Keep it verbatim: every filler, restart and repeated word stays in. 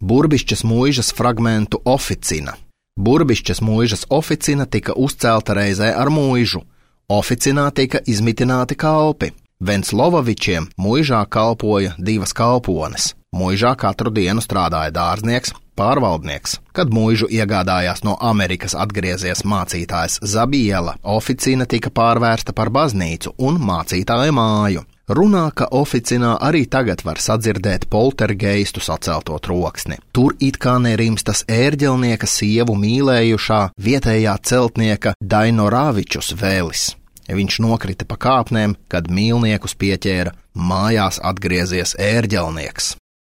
Burbišķas muižas fragmentu oficina. Burbišķas muižas oficina tika uzcelta reizē ar muižu. Oficinā tika izmitināti kalpi. Venclovavičiem muižā kalpoja divas kalpones. Muižā katru dienu strādāja dārznieks, pārvaldnieks. Kad muižu iegādājās no Amerikas atgriezies mācītājs Zabiela, oficina tika pārvērsta par baznīcu un mācītāja māju. Runā, ka oficinā arī tagad var sadzirdēt poltergeistu sacelto troksni. Tur it kā nerimstas ērģelnieka sievu mīlējušā vietējā celtnieka Dainoravičus vēlis. Viņš nokrita pa kāpnēm, kad mīlniekus pieķēra mājās atgriezies ērģelnieks.